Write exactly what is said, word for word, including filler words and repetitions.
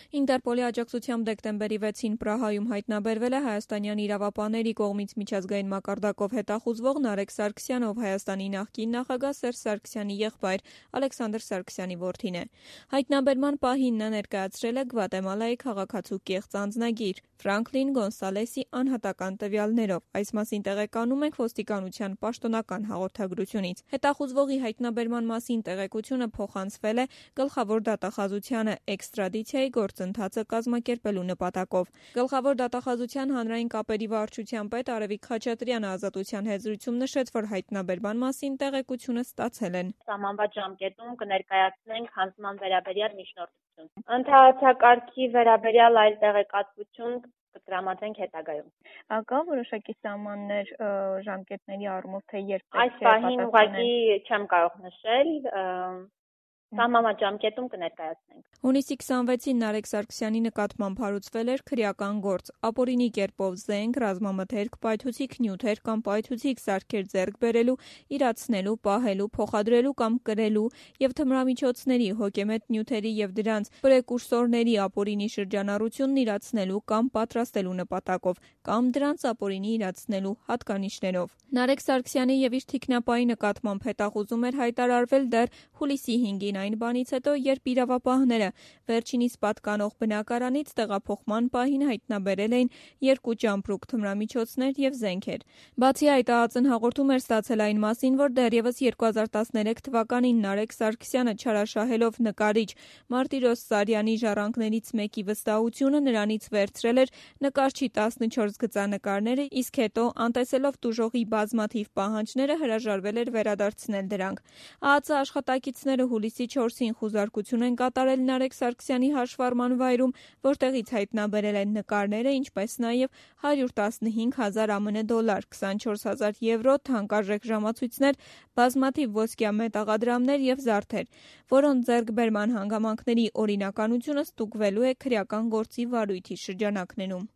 Ինտերպոլի աջակցությամբ դեկտեմբերի վեցին Պրահայում հայտնաբերվել է հայաստանյան իրավապահների կողմից միջազգային մակարդակով հետախուզվող Նարեկ Սարգսյանը, ով Հայաստանի նախկին նախագահ Սերժ Սարգսյանի եղբայր Ալեքսանդր Սարգսյանի որդին է։ Հայտնաբերման պահին նա ներկայացրել է Գվատեմալայի քաղաքացու կեղծ անձնագիր Ֆրանկլին Գոնսալեսի անհատական տվյալներով։ Այս մասին տեղեկանում ենք ոստիկանության պաշտոնական հաղորդագրությունից։ Հետախուզվողի հայտնաբերման մասին տեղեկությունը փոխանցվել է գլխավոր դատախազությանը էքստրադիցիայի գործընթացը կազմակերպելու նպատակով։ Գլխավոր դատախազության հանրային կապերի վարչության պետ Արևիկ Խաչատրյանը Ազատության հետ զրույցում նշեց, որ հայտնաբերման մասին տեղեկությունը ստացել են։ Սահմանված ժամկետում կներկայացնենք հանձնման վերաբերյալ միջնորդություն։ Ընդհանրակարգի վերաբերյալ այլ տեղեկատվություն կտրամադրենք հետագայում։ Կա որոշակի սահմաններ ժամկետների առումով, թե երբ այս պահին ուղղակի չեմ կարող նշել, սահմանված ժամկետում կներկայացնենք։ Հունիսի քսանվեցին Նարեկ Սարգսյանի նկատմամբ հարուցվել էր քրեական գործ, ապօրինի կերպով զենք, ռազմամթերք, պայթուցիկ նյութեր կամ պայթուցիկ սարքեր ձեռք բերելու, իրացնելու, պահելու, փոխադրելու կամ կրելու եւ թմրամիջոցների, հոգեմետ նյութերի եւ դրանց պրեկուրսորների ապօրինի շրջանառությունն իրացնելու կամ պատրաստելու նպատակով կամ դրանց ապօրինի իրացնելու հատկանիշներով։ Նարեկ Սարգսյանի եւ իր թիկնապայի նկատմամբ հետախուզում էր հայտարարվել դեռ հուլիսի հինգին այն բանից հետո, երբ իրավապահները վերջինիս պատկանող բնակարանից տեղափոխման պահին հայտնաբերել էին երկու ճամպրուկ թմրամիջոցներ եւ զենքեր։ Բացի այդ, ԱԱԾ-ն հաղորդում էր ստացել այն մասին, որ դեռևս երկու հազար տասներեք թվականին Նարեկ Սարգսյանը չարաշահելով նկարիչ Մարտիրոս Սարյանի ժառանգներից մեկի վստահությունը նրանից վերցրել էր նկարչի տասնչորս գծանկարները, իսկ հետո, անտեսելով տուժողի բազմաթիվ պահանջները, հրաժարվել էր վերադարձնել դրանք։ ԱԱԾ աշխատակիցները հուլիսի չորսին խուզարկություն են կատարել Նարեկ Սարգսյանի հաշվառման վայրում, որտեղից հայտնաբերել են նկարները, ինչպես նաև հարյուր տասնհինգ հազար ԱՄՆ դոլար, քսանչորս հազար եվրո, թանկարժեք ժամացույցներ, բազմաթիվ ոսկյա մետաղադրամներ եւ զարդեր, որոնց ձեռքբերման հանգամանքների օրինականությունը ստուգվելու է քրեական գործի վարույթի շրջանակներում։